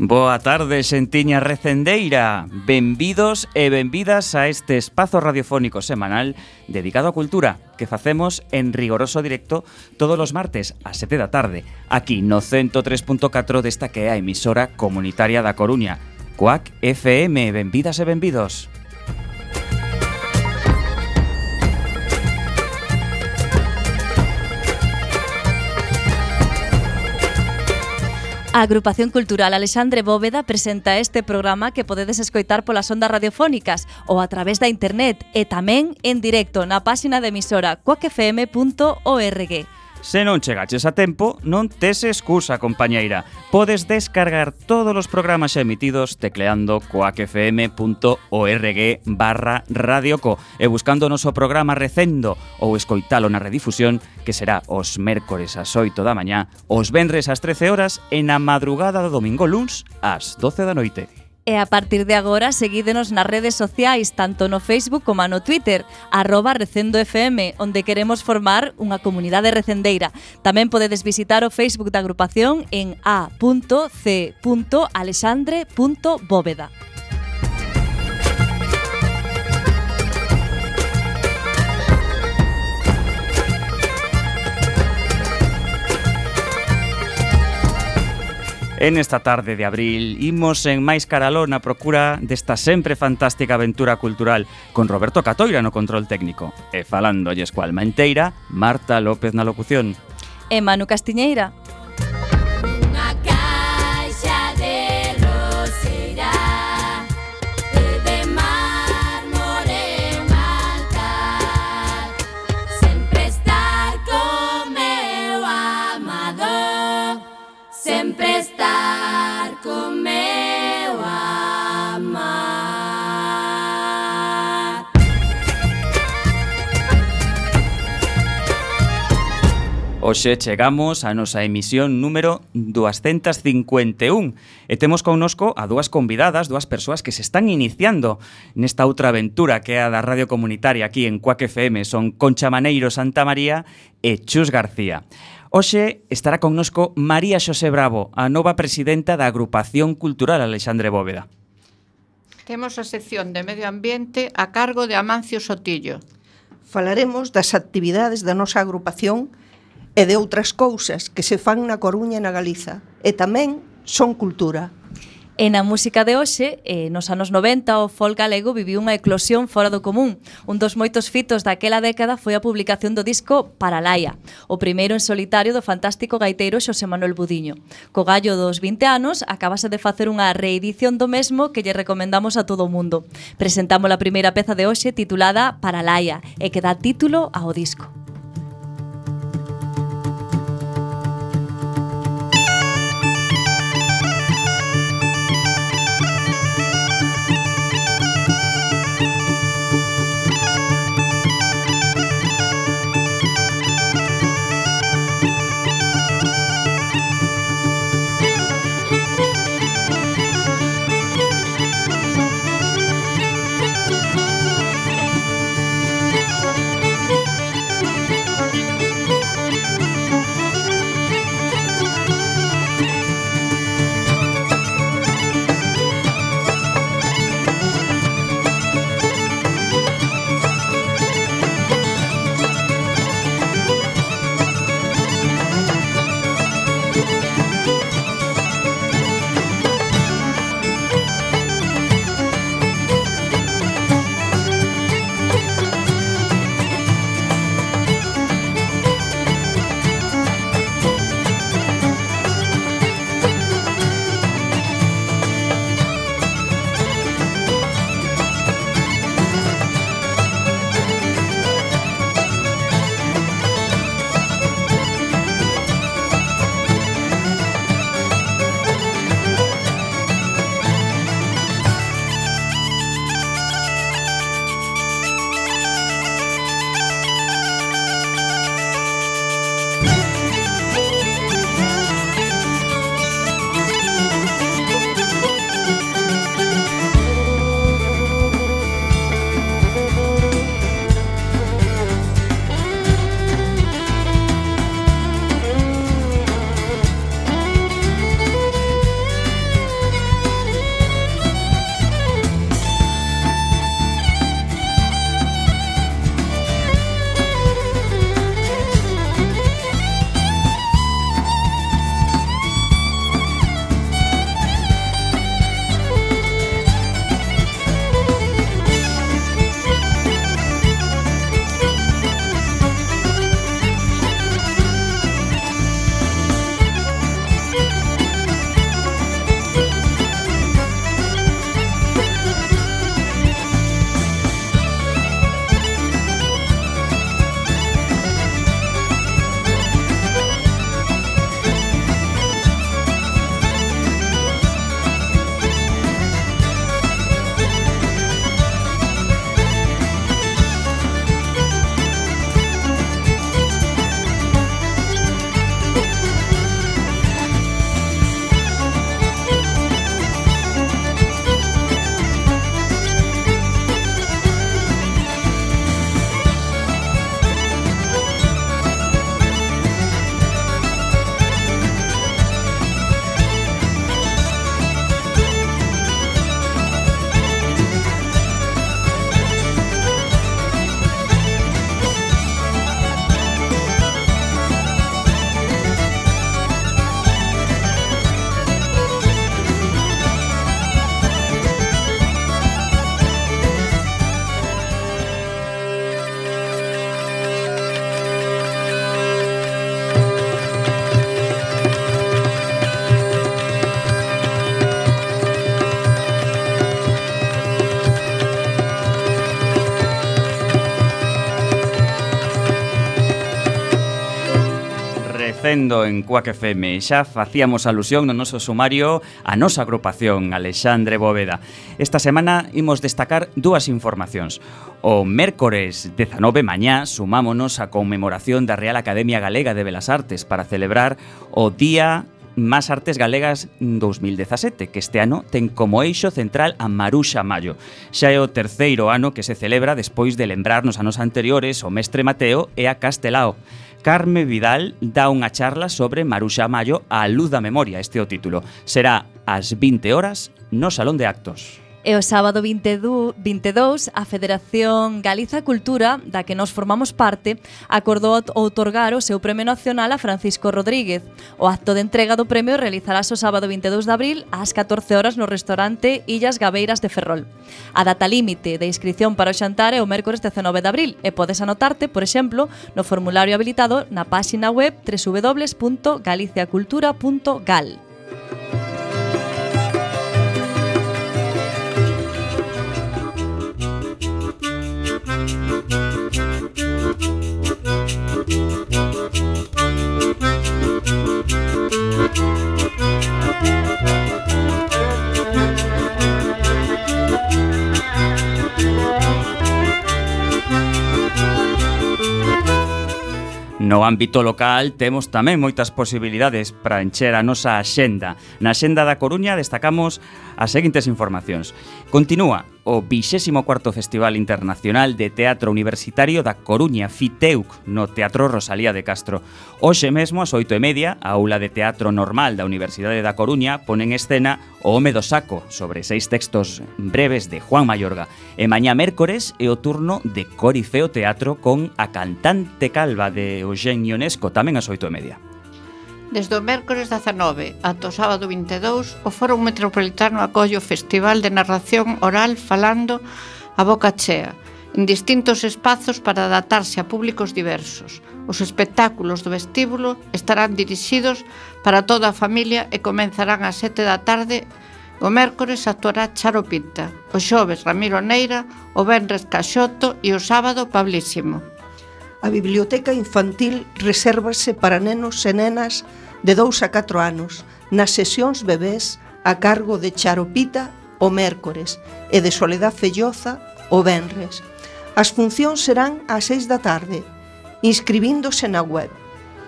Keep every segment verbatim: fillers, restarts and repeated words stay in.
Boa tarde, xentiña recendeira. Benvidos e benvidas a este espazo radiofónico semanal dedicado á cultura que facemos en rigoroso directo todos os martes a sete da tarde, aquí no ciento tres punto catro desta que é a emisora comunitaria da Coruña, Cuac F M. Benvidas e benvidos. A Agrupación Cultural Alexandre Bóveda presenta este programa que podedes escoitar polas ondas radiofónicas ou a través da internet e tamén en directo na páxina de emisora cuac f m punto org. Se non chegaches a tempo, non tes excusa, compañeira. Podes descargar todos os programas xa emitidos tecleando cuac f m punto org barra radioco e buscando o noso programa recendo ou escoitalo na redifusión, que será os mércores ás oito da mañá, os venres ás trece horas e na madrugada do domingo luns ás doce da noite. E a partir de agora, seguídenos nas redes sociais, tanto no Facebook como no Twitter, arroba recendofm, onde queremos formar unha comunidade recendeira. Tamén podedes visitar o Facebook da agrupación en a punto c punto alexandre punto bóveda. En esta tarde de abril, imos en máis caraló na procura desta sempre fantástica aventura cultural con Roberto Catoira no control técnico e falándolles coa alma enteira, Marta López na locución. E Manu Castiñeira. Hoxe chegamos a nosa emisión número doscientos cincuenta e un e temos connosco a dúas convidadas, dúas persoas que se están iniciando nesta outra aventura que é a da radio comunitaria aquí en Cuac F M. Son Concha Maneiro Santa María e Chus García. Hoxe estará connosco María Xosé Bravo, a nova presidenta da Agrupación Cultural Alexandre Bóveda. Temos a sección de Medio Ambiente a cargo de Amancio Sotillo. Falaremos das actividades da nosa agrupación e de outras cousas que se fan na Coruña e na Galiza, e tamén son cultura. E na música de hoxe, eh, nos anos noventa, o folk galego viviu unha eclosión fora do común. Un dos moitos fitos daquela década foi a publicación do disco Paralaia, o primeiro en solitario do fantástico gaiteiro Xosé Manuel Budiño. Co gallo dos vinte anos, acabase de facer unha reedición do mesmo que lle recomendamos a todo o mundo. Presentamos a primeira peza de hoxe titulada Paralaia e que dá título ao disco. facendo en Cuac F M. Xa facíamos alusión no noso sumario a nosa agrupación, Alexandre Bóveda. Esta semana imos destacar dúas informacións. O mércores dezanove mañá sumámonos á conmemoración da Real Academia Galega de Belas Artes para celebrar o Día Más Artes Galegas dos mil dezasete, que este ano ten como eixo central a Maruxa Mallo. Xa é o terceiro ano que se celebra despois de lembrar nos anos anteriores o mestre Mateo e a Castelao. Carme Vidal dá unha charla sobre Maruxa Mallo á luz da memoria, este é o título. Será ás vinte horas no Salón de Actos. E o sábado vinte e dous, a Federación Galiza Cultura, da que nos formamos parte, acordou outorgar o seu Premio Nacional a Francisco Rodríguez. O acto de entrega do premio realizarás o sábado vinte e dous de abril ás catorce horas no restaurante Illas Gabeiras de Ferrol. A data límite de inscripción para o xantar é o mércores dezanove de abril e podes anotarte, por exemplo, no formulario habilitado na páxina web doble u doble u doble u punto galiciacultura punto gal. No ámbito local temos tamén moitas posibilidades para encher a nosa axenda. Na axenda da Coruña destacamos as seguintes informacións. Continúa o vixésimo cuarto Festival Internacional de Teatro Universitario da Coruña, FITEUC, no Teatro Rosalía de Castro. Hoxe mesmo, ás oito e media, a aula de teatro normal da Universidade da Coruña pone en escena O home do saco, sobre seis textos breves de Juan Mayorga. E mañá mércores é o turno de Corifeo Teatro con a cantante calva de Eugenio Ionesco, tamén ás oito e media. Desde o mércores dezanove ata o sábado vinte e dous, o Foro Metropolitano acolle o Festival de Narración Oral Falando a Boca Chea, en distintos espazos para adaptarse a públicos diversos. Os espectáculos do vestíbulo estarán dirixidos para toda a familia e comenzarán ás sete da tarde. O mércores actuará Charo Pinta, o xoves Ramiro Neira, o venres Caxoto e o sábado Pablísimo. A biblioteca infantil resérvase para nenos e nenas de dous a catro anos, nas sesións bebés a cargo de Charopita o mércores e de Soledad Felloza o venres. As funcións serán ás seis da tarde, inscribíndose na web,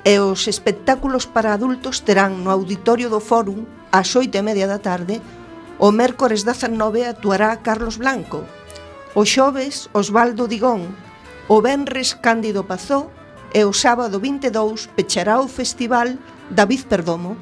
e os espectáculos para adultos terán no auditorio do Fórum ás oito e media da tarde. O mércores dezanove actuará Carlos Blanco, o xoves Osvaldo Digón, o venres Cándido Pazó e o sábado vinte e dous pechará o festival David Perdomo.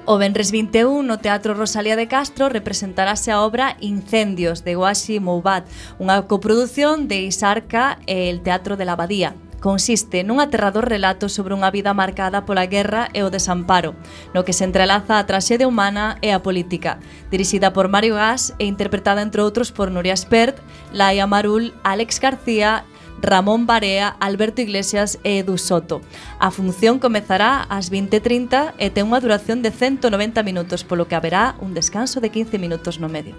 O venres vinte e un no Teatro Rosalía de Castro representarase a obra Incendios de Washi Moubat, unha coprodución de Isarca e el Teatro de la Abadía. Consiste nun aterrador relato sobre unha vida marcada pola guerra e o desamparo, no que se entrelaza a traxedia humana e a política. Dirixida por Mario Gas e interpretada entre outros por Nuria Espert, Laia Marul, Alex García, Ramón Barea, Alberto Iglesias e Edu Soto. A función comezará ás vinte e trinta e ten unha duración de ciento noventa minutos, polo que haberá un descanso de quince minutos no medio.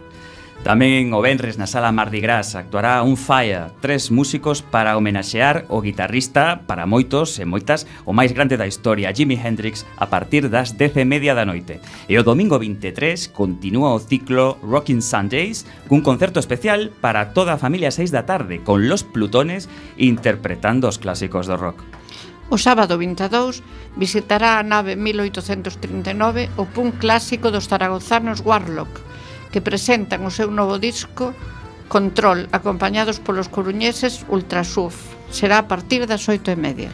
Tamén o venres na Sala Mardi Gras actuará Un Falla, tres músicos para homenaxear o guitarrista para moitos e moitas o máis grande da historia, Jimi Hendrix, a partir das dez e media da noite. E o domingo vinte e tres continúa o ciclo Rockin' Sundays cun concerto especial para toda a familia a seis da tarde, con Los Plutones interpretando os clásicos do rock. O sábado vinte e dous visitará a nave mil oitocentos trinta e nove o punk clásico dos zaragozanos Warlock, que presentan o seu novo disco Control, acompañados polos coruñeses Ultrasuf. Será a partir das oito e media.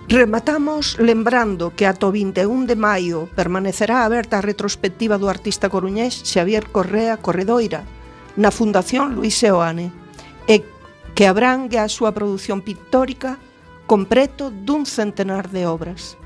Rematamos lembrando que ata o vinte e un de maio permanecerá aberta a retrospectiva do artista coruñés Xavier Correa Corredoira na Fundación Luis Seoane, e que abrangue a súa produción pictórica con preto dun centenar de obras.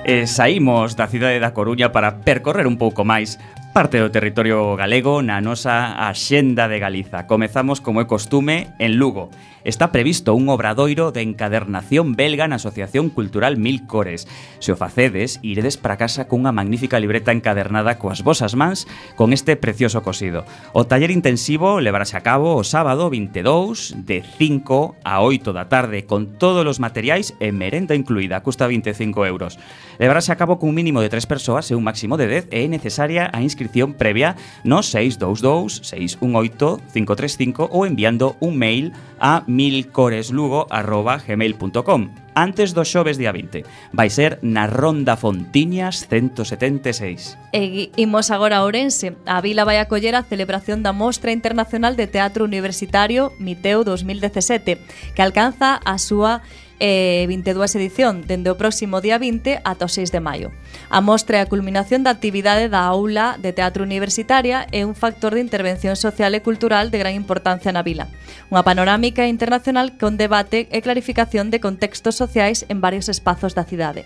E E saímos da cidade da Coruña para percorrer un pouco máis parte do territorio galego na nosa Axenda de Galiza. Comezamos, como é costume, en Lugo. Está previsto un obradoiro de encadernación belga na Asociación Cultural Mil Cores. Se o facedes, iredes para casa cunha magnífica libreta encadernada coas vosas mans con este precioso cosido. O taller intensivo levarase a cabo o sábado vinte e dous de cinco a oito da tarde con todos os materiais e merenda incluída, custa vinte e cinco euros. Levarase a cabo cun mínimo de tres persoas e un máximo de dez e é necesaria a inscripción previa no seis dous dous, seis un oito, cinco tres cinco ou enviando un mail a milcoreslugo arroba gmail punto com antes do xoves día vinte. Vai ser na Ronda Fontiñas ciento setenta e seis. E imos agora a Ourense. A vila vai acoller a celebración da Mostra Internacional de Teatro Universitario Miteu dos mil dezasete, que alcanza a súa eh, vinte e dúas edición dende o próximo día vinte ata o seis de maio. A mostra é a culminación da actividade da aula de teatro universitaria e un factor de intervención social e cultural de gran importancia na vila. Unha panorámica internacional con debate e clarificación de contextos sociais en varios espazos da cidade.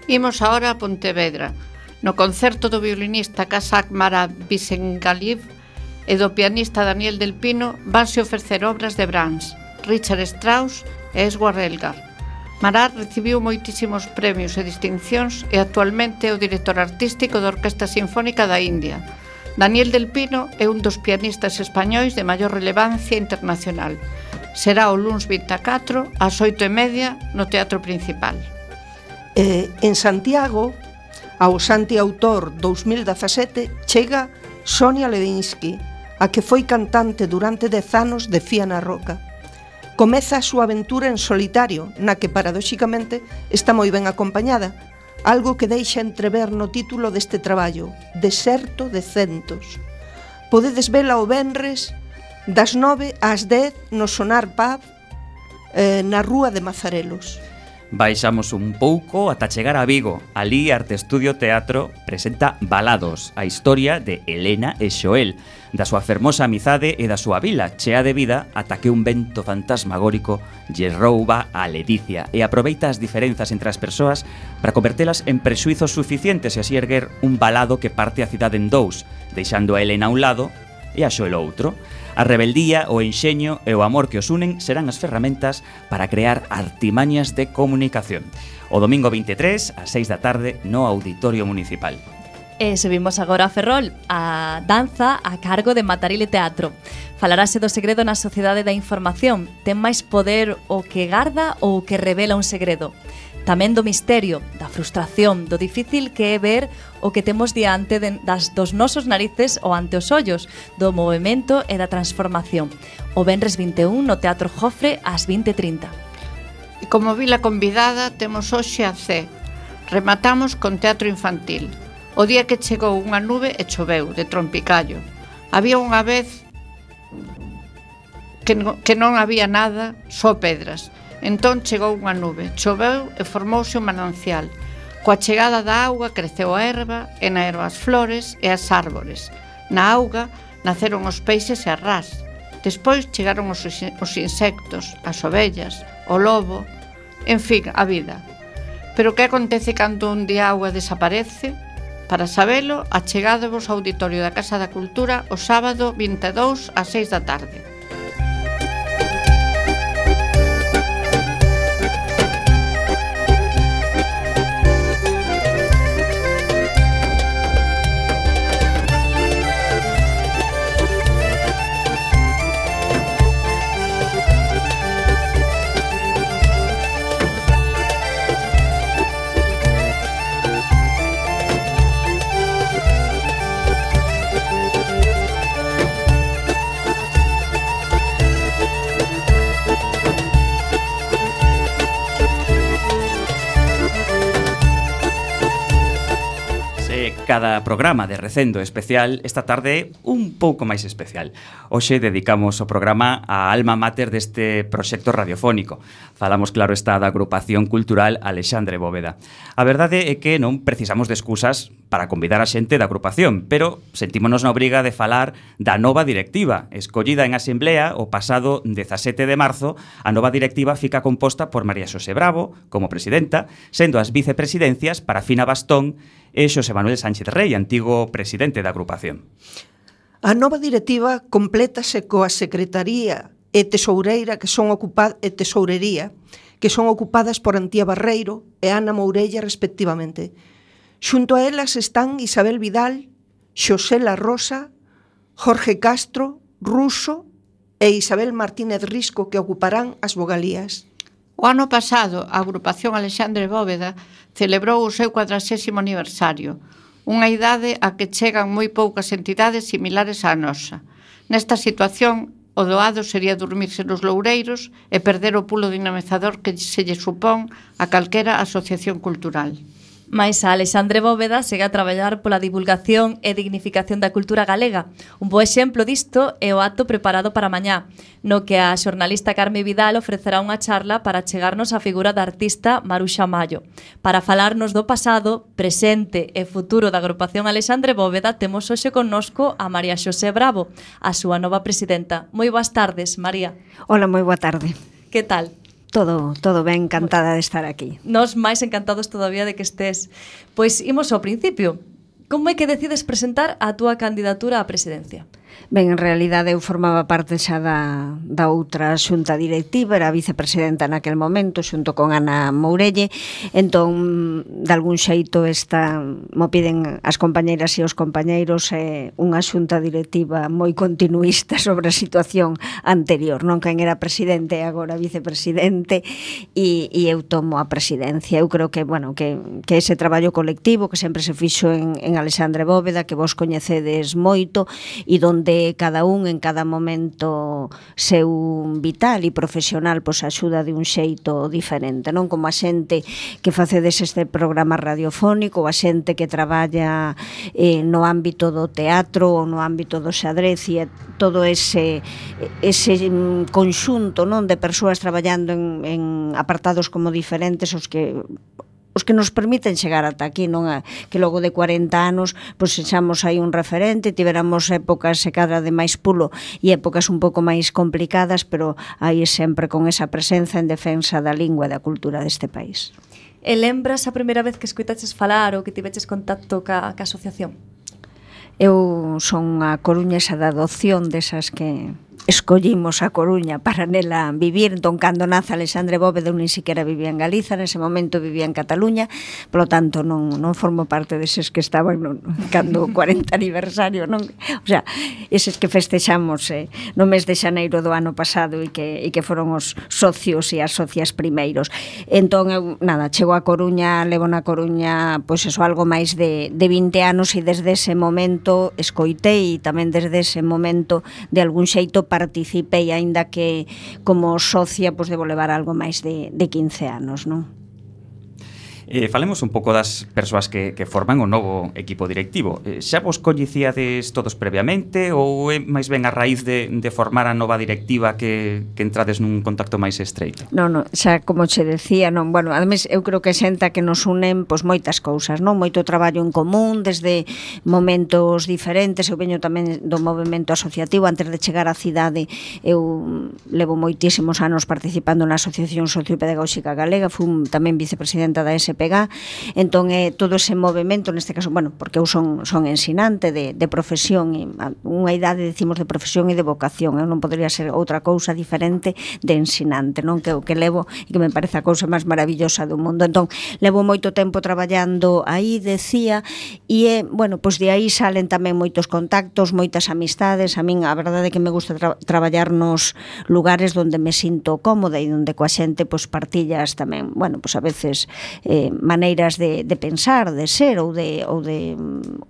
Imos agora a Pontevedra. No concerto do violinista Kazak Mara Bisengaliv e do pianista Daniel Del Pino vanse ofrecer obras de Brahms, Richard Strauss e Edward Elgar. Marat recibiu moitísimos premios e distincións e actualmente é o director artístico da Orquesta Sinfónica da India. Daniel Del Pino é un dos pianistas españois de maior relevancia internacional. Será o luns vinte e catro ás oito e media no Teatro Principal. Eh, en Santiago, ao Santi Autor dos mil dezasete, chega Sonia Levinsky, a que foi cantante durante dez anos de Fía na Roca. Comeza a súa aventura en solitario, na que paradoxicamente está moi ben acompañada, algo que deixa entrever no título deste traballo, Deserto de Centos. Podedes vela o venres das nove ás dez no Sonar Pub eh, na Rúa de Mazarelos. Baixamos un pouco ata chegar a Vigo. Alí Arte Estudio Teatro presenta Balados, a historia de Elena e Xoel, da súa fermosa amizade e da súa vila, chea de vida ata que un vento fantasmagórico lle rouba a ledicia e aproveita as diferenzas entre as persoas para convertelas en prexuizos suficientes e así erguer un balado que parte a cidade en dous, deixando a Elena a un lado e a Xoel outro. A rebeldía, o enxeño e o amor que os unen serán as ferramentas para crear artimañas de comunicación. O domingo vinte e tres, ás seis da tarde, no Auditorio Municipal. E subimos agora a Ferrol, a danza a cargo de Matarile Teatro. Falarase do segredo na sociedade da información. Ten máis poder o que garda ou o que revela un segredo. Tamén do misterio, da frustración, do difícil que é ver o que temos diante de, das, dos nosos narices ou ante os ollos, do movimento e da transformación. O venres vinte e un no Teatro Jofre ás vinte e trinta. E como vila convidada temos hoxe a C. Rematamos con teatro infantil. O día que chegou unha nube e choveu de trompicallo. Había unha vez que non, que non había nada, só pedras. Entón chegou unha nube, choveu e formouse un manancial. Coa chegada da auga creceu a erva, e na erva as flores e as árbores. Na auga naceron os peixes e as rás. Despois chegaron os, os insectos, as ovellas, o lobo, en fin, a vida. Pero que acontece cando un día a auga desaparece? Para sabelo, achegadevos ao Auditorio da Casa da Cultura o sábado vinte e dous ás seis da tarde. de cada programa de Recendo especial, esta tarde un pouco máis especial. Hoxe dedicamos o programa á alma mater deste proxecto radiofónico. Falamos, claro está, da agrupación cultural Alexandre Bóveda. A verdade é que non precisamos de excusas para convidar a xente da agrupación, pero sentímonos na obriga de falar da nova directiva. Escollida en asemblea o pasado dezasete de marzo, a nova directiva fica composta por María Xosé Bravo como presidenta, sendo as vicepresidencias para Fina Bastón e Xosé Manuel Sánchez Rey, antigo presidente da agrupación. A nova directiva complétase coa secretaría e tesoureira que son ocupadas e tesourería que son ocupadas por Antía Barreiro e Ana Mourella respectivamente. Xunto a elas están Isabel Vidal, Xosé La Rosa, Jorge Castro, Ruso e Isabel Martínez Risco, que ocuparán as vogalías. O ano pasado, a agrupación Alexandre Bóveda celebrou o seu cuadragésimo aniversario, unha idade a que chegan moi poucas entidades similares á nosa. Nesta situación, o doado sería dormirse nos loureiros e perder o pulo dinamizador que se lle supón a calquera asociación cultural. Mais a Alexandre Bóveda segue a traballar pola divulgación e dignificación da cultura galega. Un bo exemplo disto é o acto preparado para mañá, no que a xornalista Carme Vidal ofrecerá unha charla para chegarnos a figura da artista Maruxa Mallo. Para falarnos do pasado, presente e futuro da agrupación Alexandre Bóveda, temos hoxe connosco a María Xosé Bravo, a súa nova presidenta. Moi boas tardes, María. Hola, moi boa tarde. Que tal? Todo, todo ben, encantada de estar aquí. Nos máis encantados todavía de que estés. Pois imos ao principio. Como é que decides presentar a túa candidatura á presidencia? Ben, en realidade eu formaba parte xa da, da outra xunta directiva, era vicepresidenta naquel momento, xunto con Ana Mourelle, entón, de algún xeito, esta, mo piden as compañeiras e os compañeiros, eh, unha xunta directiva moi continuista sobre a situación anterior, non quen era presidente e agora vicepresidente, e, e eu tomo a presidencia. Eu creo que, bueno, que, que ese traballo colectivo que sempre se fixo en, en Alexandre Bóveda, que vos coñecedes moito, e donde cada un en cada momento seu vital e profesional pois axuda de un xeito diferente, non? Como a xente que facedes este programa radiofónico, a xente que traballa eh, no ámbito do teatro ou no ámbito do xadrez e todo ese ese conxunto, non, de persoas traballando en, en apartados como diferentes os que os que nos permiten chegar ata aquí, non a, que logo de cuarenta anos pois sexamos aí un referente, tiveramos épocas se cadra de máis pulo e épocas un pouco máis complicadas, pero aí sempre con esa presenza en defensa da lingua e da cultura deste país. E lembras a primeira vez que escoitaches falar ou que tiveches contacto ca, ca asociación? Eu son a coruñesa da adopción desas que escollimos a Coruña para nela vivir. Entón, cando nace Alexandre Bóveda, eu nin siquiera vivía en Galiza, nese momento vivía en Cataluña, polo tanto non, non formo parte deses que estaban no, cando o cuarenta aniversario, non? O sea, eses que festexamos eh, no mes de xaneiro do ano pasado e que, e que foron os socios e as socias primeiros. Entón, eu, nada, chego a Coruña, levo na Coruña, pois eso, algo máis de, de vinte anos e desde ese momento escoitei e tamén desde ese momento de algún xeito participei, aínda que como socia pois debo levar algo máis de, de quince anos, non? Eh, falemos un pouco das persoas que, que forman o novo equipo directivo. Eh, xa vos coñecíades todos previamente ou é máis ben a raíz de, de formar a nova directiva que, que entrades nun contacto máis estreito? Non, non, xa como che decía, non, bueno, ademais eu creo que xenta que nos unen pois moitas cousas, non? Moito traballo en común desde momentos diferentes. Eu veño tamén do movemento asociativo. Antes de chegar á cidade eu levo moitísimos anos participando na Asociación Sociopedagóxica Galega, fui tamén vicepresidenta da S P G A, entón é todo ese movimento, neste caso, bueno, porque eu son, son ensinante de, de profesión, e unha idade decimos de profesión e de vocación, eu non podría ser outra cousa diferente de ensinante, non? Que o que levo e que me parece a cousa máis maravillosa do mundo. Entón, levo moito tempo traballando aí, decía, e é, bueno, pois de aí salen tamén moitos contactos, moitas amistades. A min a verdade é que me gusta tra traballar nos lugares onde me sinto cómoda e onde coa xente pois partillas tamén, bueno, pois a veces eh, maneiras de, de pensar, de ser ou de, ou de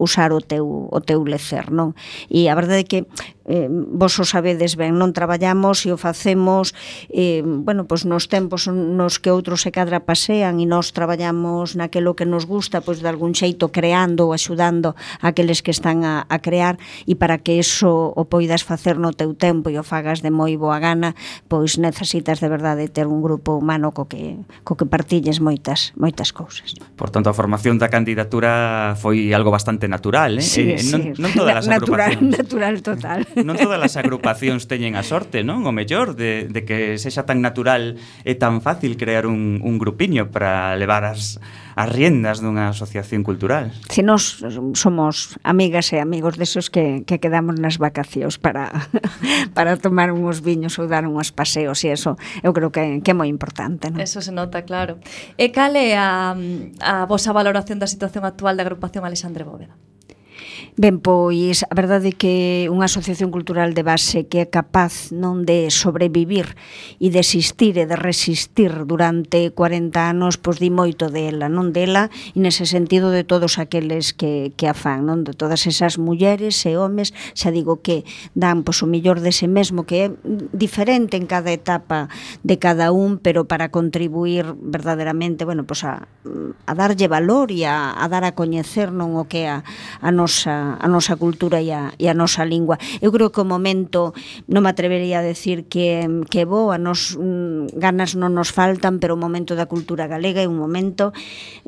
usar o teu, o teu lecer, non? E a verdade é que eh, vos o sabedes ben, non traballamos e o facemos eh, bueno, pois nos tempos nos que outros se cadra pasean e nós traballamos naquelo que nos gusta, pois de algún xeito creando ou axudando aqueles que están a, a crear, e para que eso o poidas facer no teu tempo e o fagas de moi boa gana, pois necesitas de verdade ter un grupo humano co que, co que partilles moitas, moitas cousas. Por tanto, a formación da candidatura foi algo bastante natural, eh? Sí, eh, sí. Non, non todas as natural, agrupacións. natural total. Non todas as agrupacións teñen a sorte, non? O mellor de, de que sexa tan natural e tan fácil crear un, un grupiño para levar as, as riendas dunha asociación cultural. Si nós somos amigas e amigos desos que, que quedamos nas vacacións para, para tomar uns viños ou dar uns paseos, e eso eu creo que, que é moi importante, non? Eso se nota, claro. E cal é a, a vosa valoración da situación actual da agrupación Alexandre Bóveda? Ben, pois a verdade é que unha asociación cultural de base que é capaz non de sobrevivir e de existir e de resistir durante corenta anos, pois di moito dela, non dela, e nese sentido de todos aqueles que, que a fan, non? De todas esas mulleres e homes, xa digo que dan pois o millor dese mesmo, que é diferente en cada etapa de cada un, pero para contribuir verdadeiramente, bueno, pois a, a darlle valor e a, a dar a coñecer non o que é a, a nosa a nosa cultura e a, e a nosa lingua. Eu creo que o momento, non me atrevería a decir que, que é bo, a nos mm, ganas non nos faltan, pero o momento da cultura galega é un momento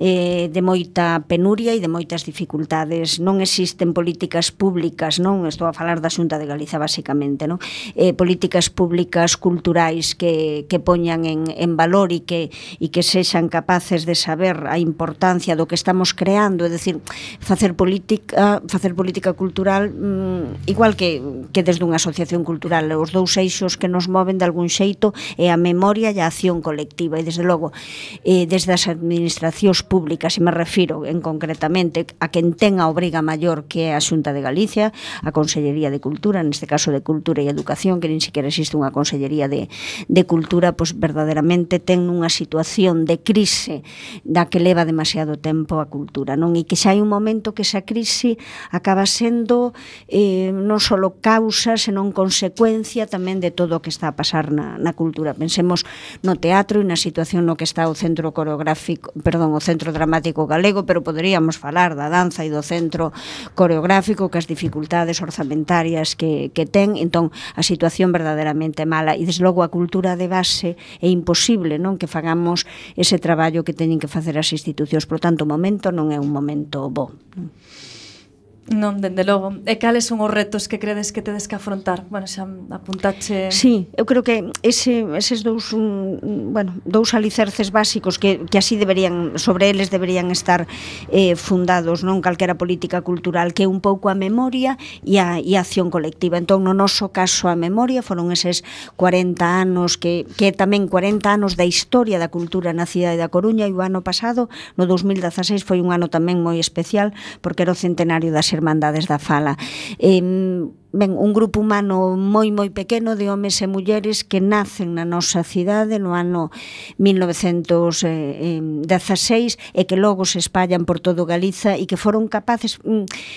eh, de moita penuria e de moitas dificultades. Non existen políticas públicas, non? Estou a falar da Xunta de Galiza, basicamente, non? Eh, políticas públicas culturais que, que poñan en, en valor e que, e que sexan capaces de saber a importancia do que estamos creando, é dicir, facer política, facer política cultural mmm, igual que, que desde unha asociación cultural, os dous eixos que nos moven de algún xeito é a memoria e a acción colectiva, e desde logo eh, desde as administracións públicas, e me refiro en concretamente a quen ten a obriga maior, que é a Xunta de Galicia, a Consellería de Cultura, neste caso de Cultura e Educación, que nin sequera existe unha Consellería de, de Cultura, pois verdadeiramente ten unha situación de crise da que leva demasiado tempo a cultura, non? E que xa hai un momento que esa crise acaba sendo eh, non só causa, senón consecuencia tamén de todo o que está a pasar na, na cultura. Pensemos no teatro e na situación no que está o Centro Coreográfico, perdón, o Centro Dramático Galego, pero poderíamos falar da danza e do Centro Coreográfico, que as dificultades orzamentarias que, que ten, entón a situación verdadeiramente mala, e desde logo a cultura de base é imposible, non, que fagamos ese traballo que teñen que facer as institucións. Por tanto, o momento non é un momento bo. Non, dende logo. E cales son os retos que credes que tedes que afrontar? Bueno, xa apuntache... Sí, eu creo que ese, eses dous, un, bueno, dous alicerces básicos que, que así deberían, sobre eles deberían estar eh, fundados, non, calquera política cultural, que é un pouco a memoria e a, e a acción colectiva. Entón, no noso caso, a memoria foron eses cuarenta anos, que, que tamén cuarenta anos da historia da cultura na cidade da Coruña, e o ano pasado, no dos mil dezaseis, foi un ano tamén moi especial, porque era o centenario das Hermandades da Fala. Eh, ben, un grupo humano moi moi pequeno de homes e mulleres que nacen na nosa cidade no ano mil novecentos dezaseis e que logo se espallan por todo Galiza e que foron capaces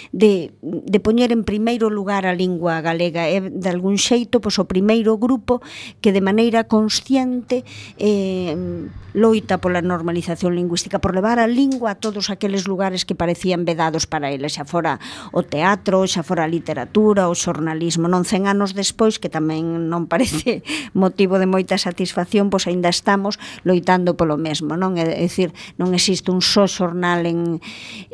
de, de poñer en primeiro lugar a lingua galega. É de algún xeito pois, o primeiro grupo que de maneira consciente eh, loita pola normalización lingüística, por levar a lingua a todos aqueles lugares que parecían vedados para eles, xa fora o teatro, xa fora a literatura, o xornalismo. Non cen anos despois, que tamén non parece motivo de moita satisfacción, pois aínda estamos loitando polo mesmo, non? É dicir, non existe un só xornal en,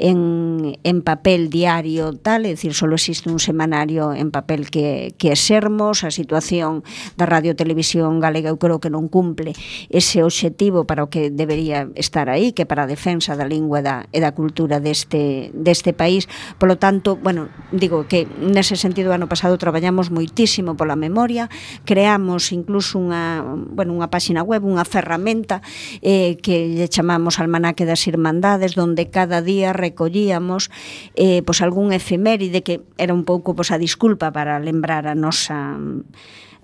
en, en papel diario tal, é dicir, só existe un semanario en papel que, que é Sermos. A situación da Radio Televisión Galega eu creo que non cumple ese obxectivo para o que debería estar aí, que para a defensa da lingua e da, e da cultura deste, deste país. Polo tanto, bueno, digo que nese sentido ano pasado traballamos moitísimo pola memoria, creamos incluso unha, bueno, unha páxina web, unha ferramenta eh, que lle chamamos Almanaque das Irmandades, donde cada día recollíamos eh, pois algún efeméride que era un pouco pois, a disculpa para lembrar a nosa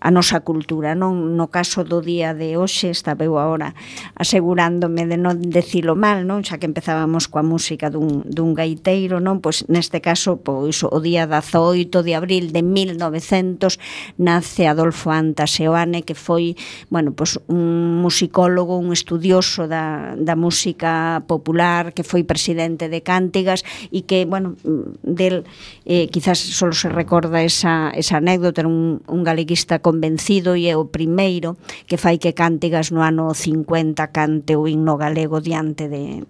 a nosa cultura, non? No caso do día de hoxe, estaba eu agora asegurándome de non decilo mal, non? Xa que empezábamos coa música dun, dun gaiteiro, non? Pois neste caso, pois o día dezaoito de abril de mil novecentos nace Adolfo Anta Seoane, que foi, bueno, pois un musicólogo, un estudioso da, da música popular, que foi presidente de Cántigas e que, bueno, del eh, quizás solo se recorda esa, esa anécdota, era un, un galeguista convencido e é o primeiro que fai que Cántigas no ano cincuenta cante o himno galego diante de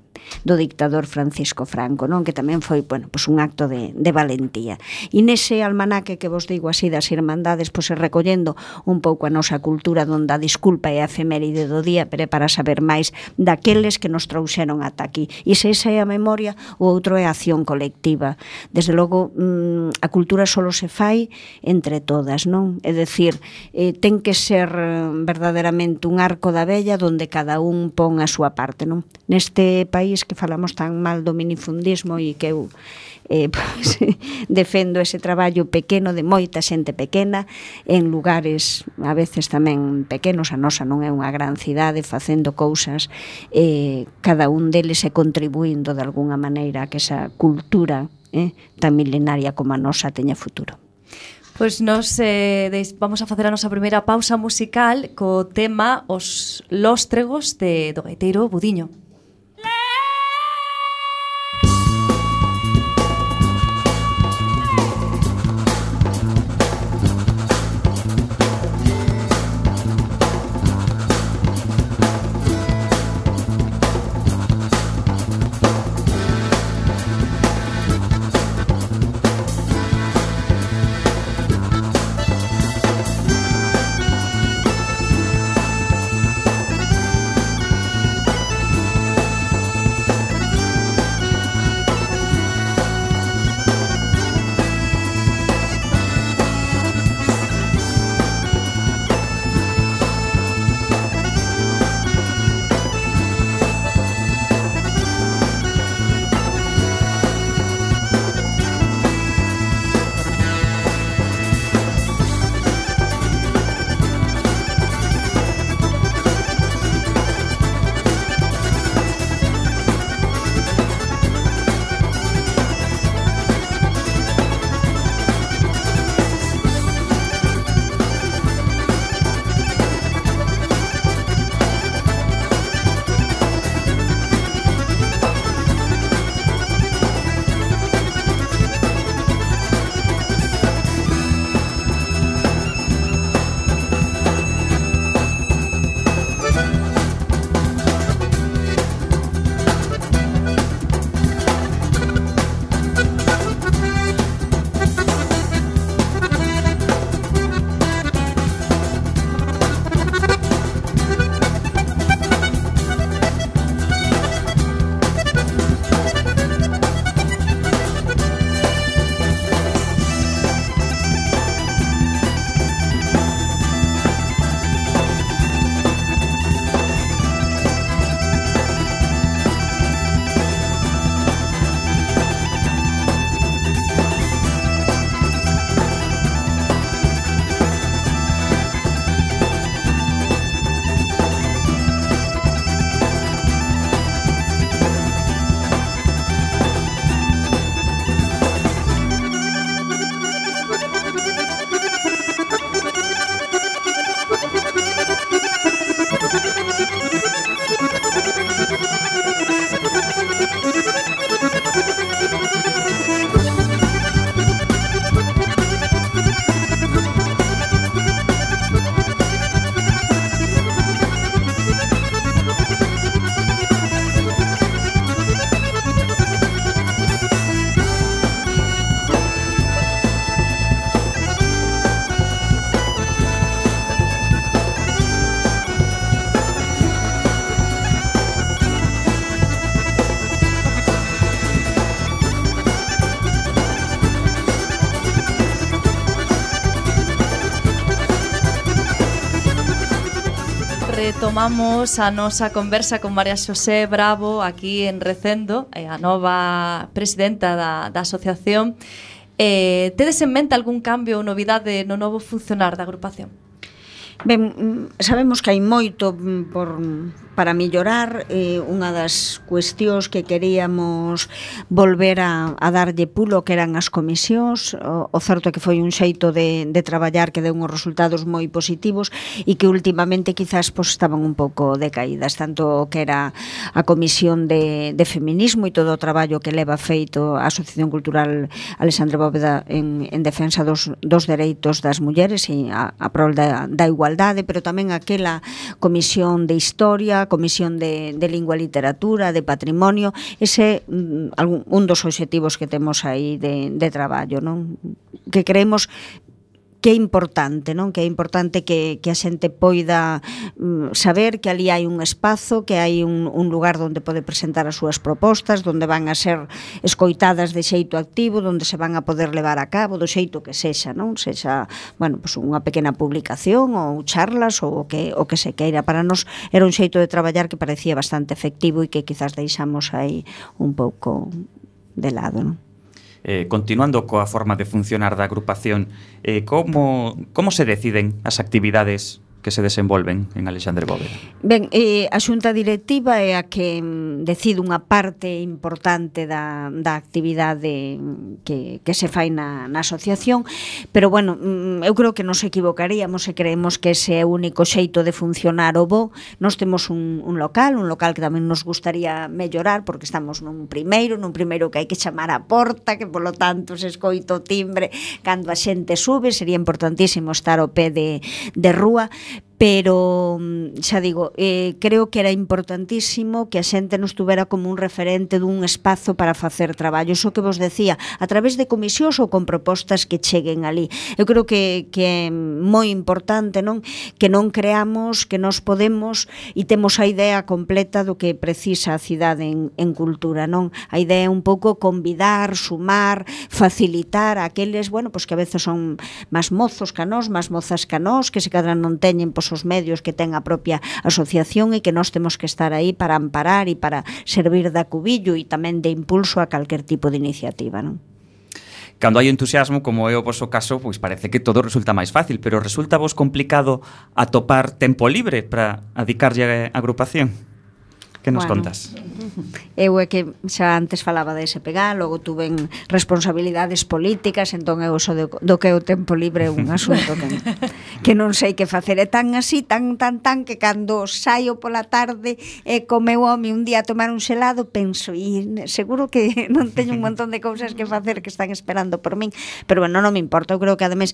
do dictador Francisco Franco, non? Que tamén foi, bueno, pois un acto de, de valentía. E nese almanaque que vos digo así das irmandades, pois recollendo un pouco a nosa cultura, donde a disculpa é a efeméride do día, pero é para saber máis daqueles que nos trouxeron ata aquí. E se esa é a memoria, o outro é a acción colectiva. Desde logo, mmm, a cultura solo se fai entre todas, non? É dicir, eh, ten que ser verdadeiramente un arco da vella donde cada un pon a súa parte, non? Neste país que falamos tan mal do minifundismo e que eu eh, pues, defendo ese traballo pequeno de moita xente pequena en lugares a veces tamén pequenos, a nosa non é unha gran cidade, facendo cousas eh, cada un deles e contribuindo de alguna maneira a que esa cultura eh, tan milenaria como a nosa teña futuro. Pois nos eh, deis, vamos a facer a nosa primeira pausa musical co tema Os Lóstregos de do gaiteiro Budiño. retomamos a nosa conversa con María Xosé Bravo aquí en Recendo, a nova presidenta da, da asociación. Eh, tedes en mente algún cambio ou novidade no novo funcionar da agrupación? Ben, sabemos que hai moito por, para mellorar. Eh, unha das cuestións que queríamos volver a, a darlle pulo que eran as comisións. O, o certo é que foi un xeito de, de traballar que deu uns resultados moi positivos e que últimamente quizás pues, estaban un pouco decaídas, tanto que era a Comisión de, de Feminismo e todo o traballo que leva feito a Asociación Cultural Alexandre Bóveda en, en defensa dos, dos dereitos das mulleres e a, a prol da, da igualdade, pero tamén aquela Comisión de Historia, Comisión de, de Lingua e Literatura, de Patrimonio. Ese un, un dos obxectivos que temos aí de, de traballo, non? Que creemos que é importante, non? Que é importante que, que a xente poida mm, saber que ali hai un espazo, que hai un, un lugar onde pode presentar as súas propostas, onde van a ser escoitadas de xeito activo, onde se van a poder levar a cabo do xeito que sexa, non? Sexa, bueno, pues unha pequena publicación ou charlas ou o que, o que se queira. Para nós era un xeito de traballar que parecía bastante efectivo e que quizás deixamos aí un pouco de lado, non? Eh, continuando coa forma de funcionar da agrupación, eh, como, como se deciden as actividades que se desenvolven en Alexandre Bóveda? Ben, eh, a xunta directiva é a que mm, decide unha parte importante da, da actividade que, que se fai na, na asociación, pero bueno, mm, eu creo que nos equivocaríamos se creemos que ese é o único xeito de funcionar o bo. Nós temos un, un local, un local que tamén nos gustaría mellorar, porque estamos nun primeiro, nun primeiro que hai que chamar a porta, que polo tanto se escoita o timbre cando a xente sube. Sería importantísimo estar ao pé de, de rúa, pero xa digo, eh, creo que era importantísimo que a xente nos tuvera como un referente dun espazo para facer traballo. Iso que vos decía, a través de comisións ou con propostas que cheguen ali. Eu creo que, que é moi importante, non? Que non creamos que nos podemos e temos a idea completa do que precisa a cidade en, en cultura, non? A idea é un pouco convidar, sumar, facilitar a aqueles, bueno, pues que a veces son máis mozos que a nós, máis mozas que a nós, que se cadran non teñen pues, os medios que ten a propia asociación e que nós temos que estar aí para amparar e para servir de acubillo e tamén de impulso a calquer tipo de iniciativa, non? Cando hai entusiasmo, como é o vosso caso, pois parece que todo resulta máis fácil, pero resulta vos complicado atopar tempo libre para adicarlle a agrupación? Que nos bueno, contas? Eu é que xa antes falaba de S P G, logo tuven responsabilidades políticas, entón eu so do, do que o tempo libre é un asunto que, que non sei que facer. É tan así, tan, tan, tan, que cando saio pola tarde e co meu home un día a tomar un xelado, penso, e seguro que non teño un montón de cousas que facer que están esperando por min, pero bueno, non me importa. Eu creo que ademais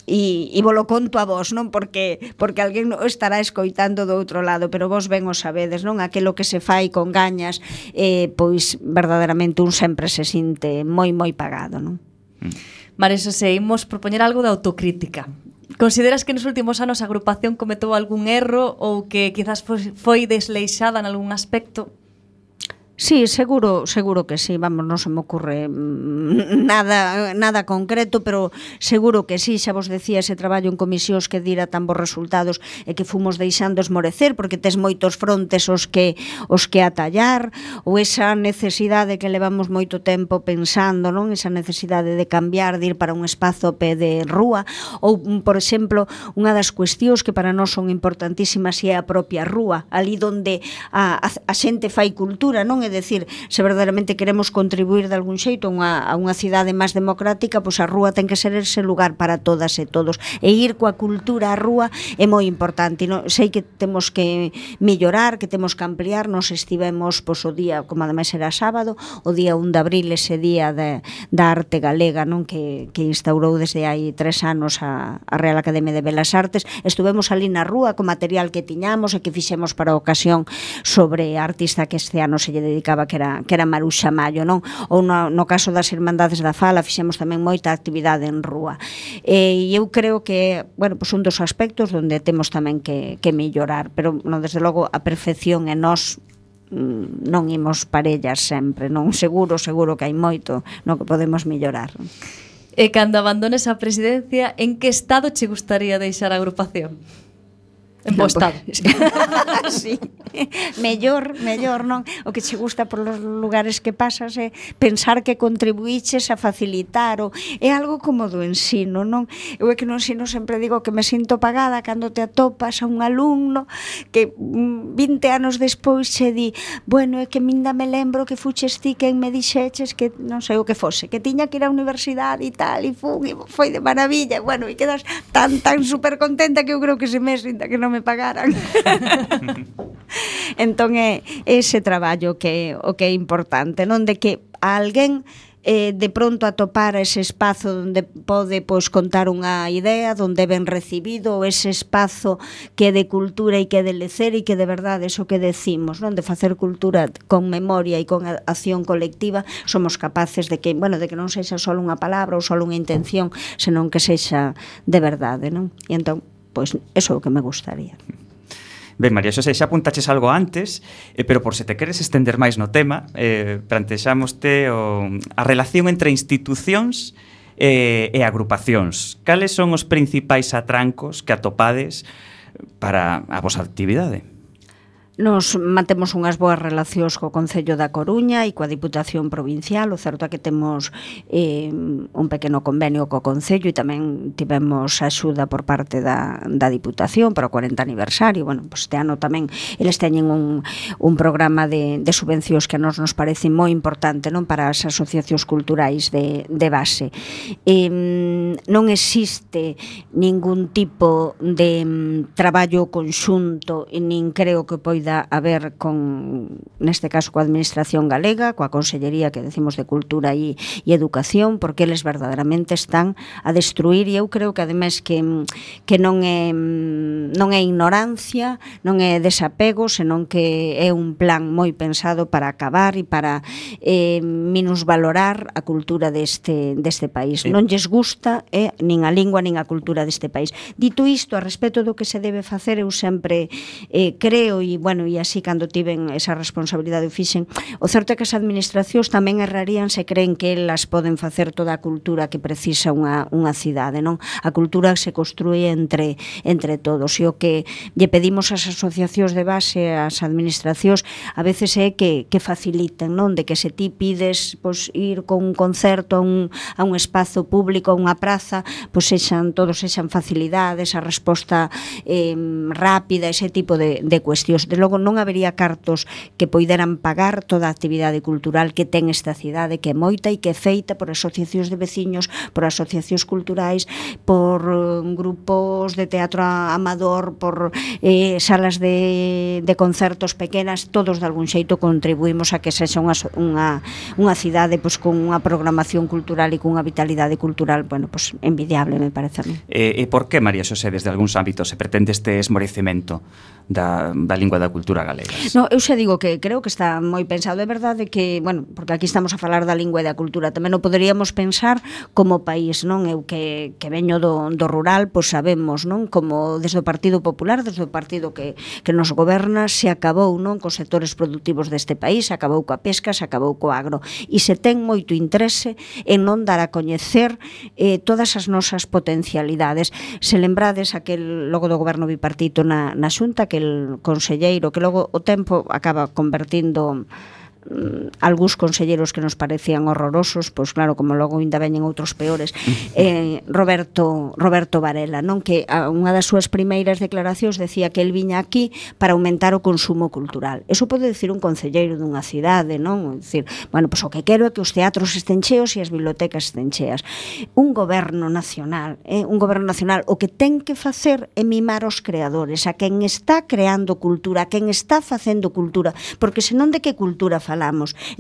e, e vos lo conto a vos, non? Porque, porque alguén estará escoitando do outro lado, pero vos ben o sabedes, non? Aquelo que se fai con gañas, eh, pois verdadeiramente un sempre se sinte moi moi pagado, non? María Xosé, imos propoñer algo de autocrítica. Consideras que nos últimos anos a agrupación cometou algún erro ou que quizás foi, foi desleixada en algún aspecto? Sí, seguro, seguro que sí, vamos, non se me ocurre nada nada concreto, pero seguro que sí. Xa vos decía, ese traballo en comisións que dira tan bons resultados e que fomos deixando esmorecer porque tes moitos frontes os que os que atallar, ou esa necesidade que levamos moito tempo pensando, non? Esa necesidade de cambiar, de ir para un espazo pé de rúa, ou, por exemplo, unha das cuestións que para nós son importantísimas é a propia rúa, ali onde a, a, a xente fai cultura, non? É dicir, se verdadeiramente queremos contribuir de algún xeito a unha, a unha cidade máis democrática, pois a rúa ten que ser ese lugar para todas e todos, e ir coa cultura á rúa é moi importante. Non? Sei que temos que mellorar, que temos que ampliar. Nos estivemos pois, o día, como ademais era sábado, o día un de abril, ese día de, da arte galega, non? Que, que instaurou desde hai tres anos a, a Real Academia de Belas Artes. Estuvemos ali na rúa co material que tiñamos e que fixemos para a ocasión sobre a artista que este ano se lle dedicaba, que era, que era Maruxa Mallo, non? Ou no, no caso das Irmandades da Fala fixemos tamén moita actividade en rúa. E eu creo que, bueno, pues un dos aspectos onde temos tamén que, que mellorar, pero non, desde logo a perfección e nós non imos parellas sempre, non? Seguro, seguro que hai moito no que podemos mellorar. E cando abandones a presidencia, en que estado che gustaría deixar a agrupación? En bo estado. Sí. Mellor, mellor, non? O que che gusta por los lugares que pasas é pensar que contribuíches a facilitar o é algo como do ensino, non? Eu é que no ensino sempre digo que me sinto pagada cando te atopas a un alumno que vinte anos despois che di, bueno, é que minda me lembro que fuches ti quen me dixeches que non sei o que fose, que tiña que ir á universidade e tal, e fun, e foi de maravilla, bueno, e quedas tan, tan super contenta que eu creo que se me sinta que non me pagaran. Entón é ese traballo que o que é importante, non, de que a alguén eh, de pronto atopar ese espazo onde pode pois, contar unha idea, onde ben recibido, ese espazo que é de cultura e que é de lecer e que de verdade eso que decimos, non, de facer cultura con memoria e con acción colectiva, somos capaces de que, bueno, de que non sexa só unha palabra ou só unha intención, senón que sexa de verdade, non? E entón, pois, eso é o que me gustaría. Ben, María Xosé, xa apuntaches algo antes, eh, pero por se te queres estender máis no tema, eh, plantexámoste o, a relación entre institucións eh, e agrupacións. Cales son os principais atrancos que atopades para a vosa actividade? Nos mantemos unhas boas relacións co Concello da Coruña e coa Diputación Provincial. O certo é que temos eh, un pequeno convenio co Concello e tamén tivemos axuda por parte da, da Diputación para o cuarenta aniversario. Bueno, pues este ano tamén eles teñen un, un programa de, de subvencións que a nos nos parece moi importante, non, para as asociacións culturais de, de base. Eh, non existe ningún tipo de um, traballo conxunto e nin creo que poida a ver con, neste caso, coa Administración Galega, coa Consellería que decimos de Cultura e, e Educación, porque eles verdadeiramente están a destruir, e eu creo que ademais que, que non é non é ignorancia, non é desapego, senón que é un plan moi pensado para acabar e para eh, minusvalorar a cultura deste, deste país. Sí. Non lles gusta eh, nin a lingua nin a cultura deste país. Dito isto, a respecto do que se debe facer, eu sempre eh, creo, e bueno, e así cando tiven esa responsabilidade o fixen, o certo é que as administracións tamén errarían se creen que elas poden facer toda a cultura que precisa unha, unha cidade, non? A cultura se construye entre, entre todos, e o que lle pedimos ás asociacións de base, ás administracións, a veces é que, que faciliten, non? De que se ti pides pois, ir con un concerto a un, a un espazo público, a unha praza, pois sexan, todos sexan facilidades, a resposta eh, rápida, ese tipo de, de cuestións. De logo non habería cartos que poideran pagar toda a actividade cultural que ten esta cidade, que é moita e que é feita por asociacións de veciños, por asociacións culturais, por uh, grupos de teatro amador, por eh, salas de, de concertos pequenas, todos de algún xeito contribuímos a que sexa unha, unha, unha cidade pois, con unha programación cultural e con unha vitalidade cultural, bueno, pois, envidiable, me parece a mí. E, e por que, María Xosé, desde algúns ámbitos se pretende este esmorecemento da, da lingua da cultura galega? No, eu xa digo que creo que está moi pensado. É verdade que, bueno, porque aquí estamos a falar da lingua e da cultura, tamén o poderíamos pensar como país, non? Eu que, que veño do, do rural, pois sabemos, non? Como desde o Partido Popular, desde o partido que, que nos goberna, se acabou, non? Cos sectores productivos deste país, se acabou coa pesca, se acabou co agro, e se ten moito interese en non dar a coñecer eh, todas as nosas potencialidades. Se lembrades aquel logo do goberno bipartito na, na Xunta, aquel conselleiro que logo o tempo acaba convertindo algúns conselleiros que nos parecían horrorosos, pois claro, como logo ainda veñen outros peores, eh, Roberto Roberto Varela, non, que a, unha das súas primeiras declaracións decía que el viña aquí para aumentar o consumo cultural. Eso pode decir un concelleiro dunha cidade, non? Dicir, bueno, pois o que quero é que os teatros estén cheos e as bibliotecas estén cheas. Un goberno nacional, eh, un goberno nacional o que ten que facer é mimar os creadores, a quen está creando cultura, a quen está facendo cultura, porque senón de que cultura falamos.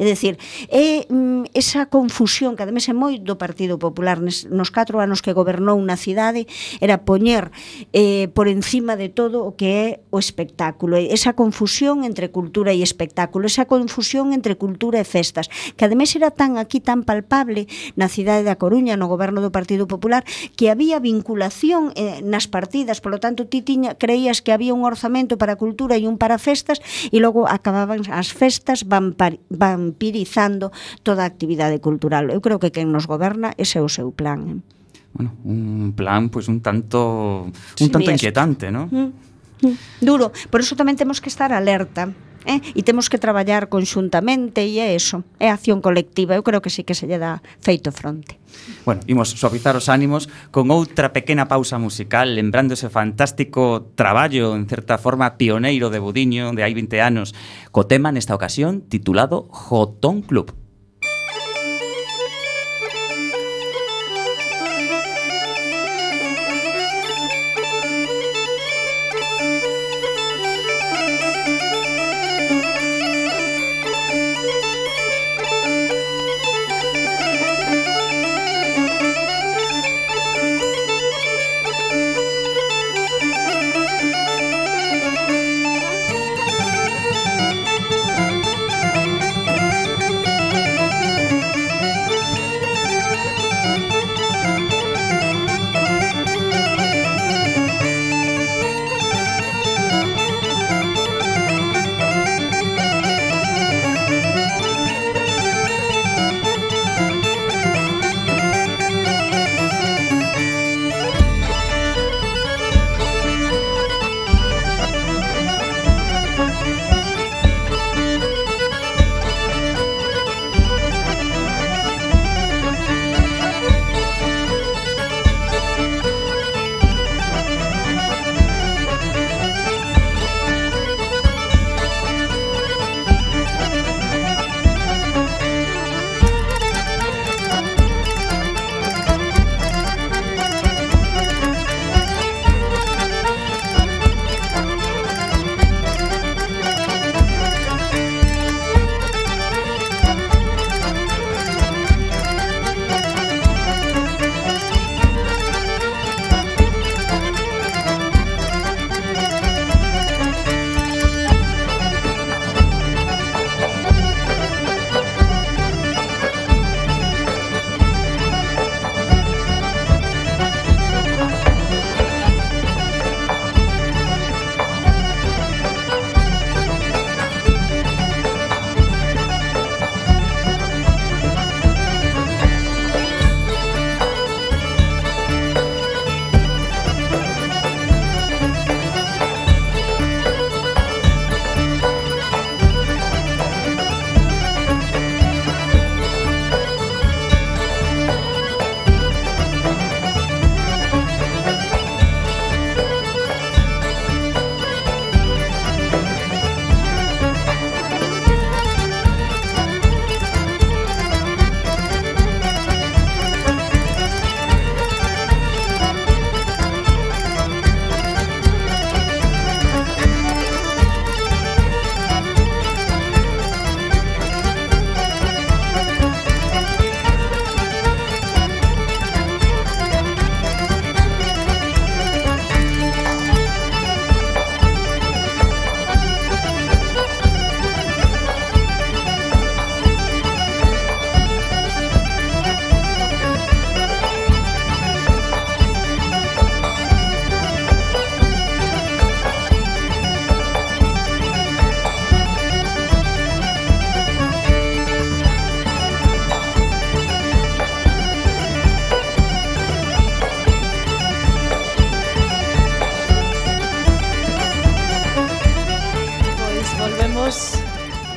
É dicir, é mm, esa confusión que ademais é moi do Partido Popular nes, nos catro anos que gobernou na cidade, era poñer eh, por encima de todo o que é o espectáculo, esa confusión entre cultura e espectáculo, esa confusión entre cultura e festas, que ademais era tan aquí tan palpable na cidade da Coruña, no goberno do Partido Popular, que había vinculación eh, nas partidas, polo tanto ti tiña, creías que había un orzamento para cultura e un para festas, e logo acababan as festas vampar vampirizando toda a actividade cultural. Eu creo que quen nos goberna ese é o seu plan. Bueno, un plan pois pues, un tanto un sí, tanto inquietante, ¿no? Mm. Duro, por eso tamén temos que estar alerta. Eh? E temos que traballar conxuntamente e é eso, é acción colectiva. Eu creo que sí que se lle dá feito fronte. Bueno, imos suavizar os ánimos con outra pequena pausa musical, lembrando ese fantástico traballo, en certa forma pioneiro de Budiño de hai vinte anos, co tema nesta ocasión titulado Jotón Club.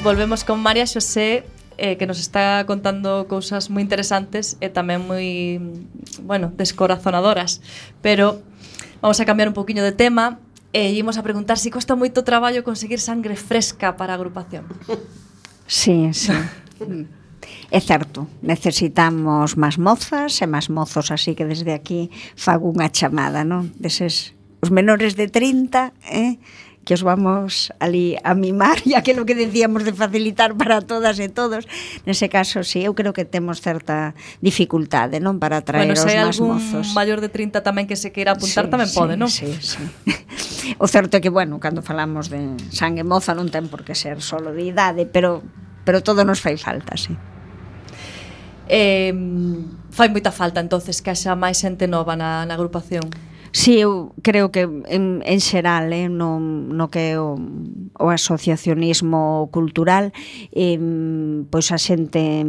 volvemos con María Xosé, eh, que nos está contando cousas moi interesantes e tamén moi, bueno, descorazonadoras. Pero vamos a cambiar un poquinho de tema e ímos a preguntar se si costa moito traballo conseguir sangre fresca para a agrupación. Sí, sí. É certo, necesitamos máis mozas e máis mozos, así que desde aquí fago unha chamada, non? Deses, os menores de trinta, eh? que os vamos ali a mimar e aquilo que decíamos de facilitar para todas e todos. Nese caso, sí, eu creo que temos certa dificultade, non? Para traer bueno, os máis mozos. mozos. Bueno, se hai algún maior de trinta tamén que se queira apuntar, sí, tamén sí, pode, non? Sí, sí. O certo é que, bueno, cando falamos de sangue moza non ten por que ser solo de idade, pero, pero todo nos fai falta, sí. Eh, fai moita falta entonces que haxa máis xente nova na, na agrupación. Sí, eu creo que en, en xeral, eh, no, no que é o, o asociacionismo cultural, eh, pois a xente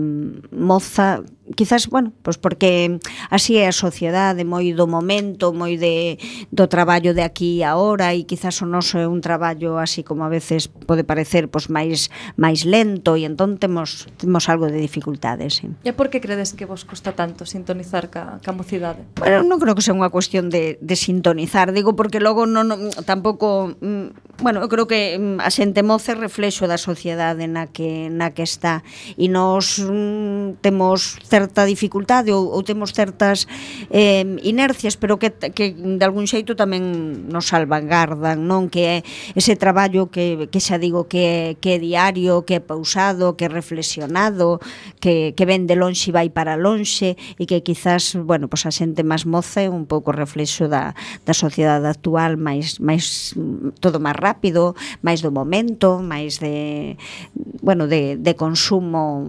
moza quizás, bueno, pois porque así é a sociedade, moi do momento, moi de do traballo de aquí e agora, e quizás o noso é un traballo así como a veces pode parecer pois máis máis lento, e entón temos temos algo de dificultades, sí. E por que credes que vos custa tanto sintonizar ca, ca mocidade? Bueno, non creo que sea unha cuestión de, de sintonizar, digo, porque logo non, non tampouco, mm, bueno, eu creo que mm, a xente moza é reflexo da sociedade na que na que está, e nós mm, temos certa dificultade ou, ou temos certas eh, inercias, pero que, que de algún xeito tamén nos salvagardan, non? Que é ese traballo que, que xa digo que é, que é diario, que é pausado, que é reflexionado, que, que ven de lonxe e vai para lonxe, e que quizás, bueno, pois a xente máis moza é un pouco reflexo da, da sociedade actual, máis, máis todo máis rápido, máis do momento, máis de, bueno, de, de consumo,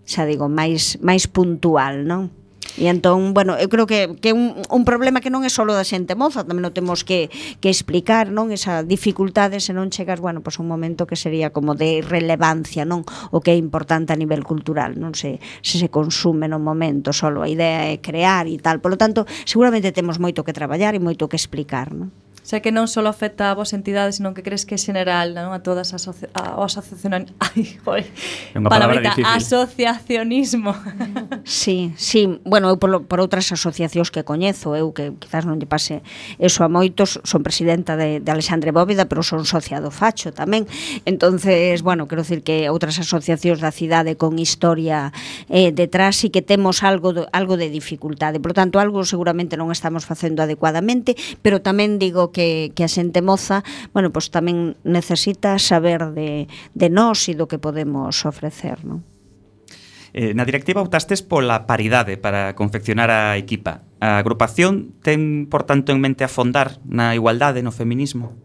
xa digo, máis máis puntual, non? E entón, bueno, eu creo que que un, un problema que non é só da xente moza, tamén o temos que, que explicar, non? Esa dificultade se non chegas, bueno, pois un momento que sería como de relevancia, non? O que é importante a nivel cultural, non se, se se consume no momento, só a idea é crear e tal. Por lo tanto, seguramente temos moito que traballar e moito que explicar, non? Xa que non só afecta a vos entidades, senón que crees que é general, non? A todas as asoci a, asociacion... Ai, joder, palabrita, asociacionismo. Sí, sí, bueno, eu por, por outras asociacións que coñezo, eu que quizás non lle pase eso a moitos, son presidenta de, de Alexandre Bóveda, pero son socia do Facho tamén. Entonces, bueno, quero dicir que outras asociacións da cidade con historia eh, detrás e que temos algo de, algo de dificultade. Por tanto, algo seguramente non estamos facendo adecuadamente, pero tamén digo que, que a xente moza, bueno, pues tamén necesita saber de, de nós e do que podemos ofrecer, non? Eh, na directiva optastes pola paridade para confeccionar a equipa. A agrupación ten, por tanto, en mente afondar na igualdade, no feminismo?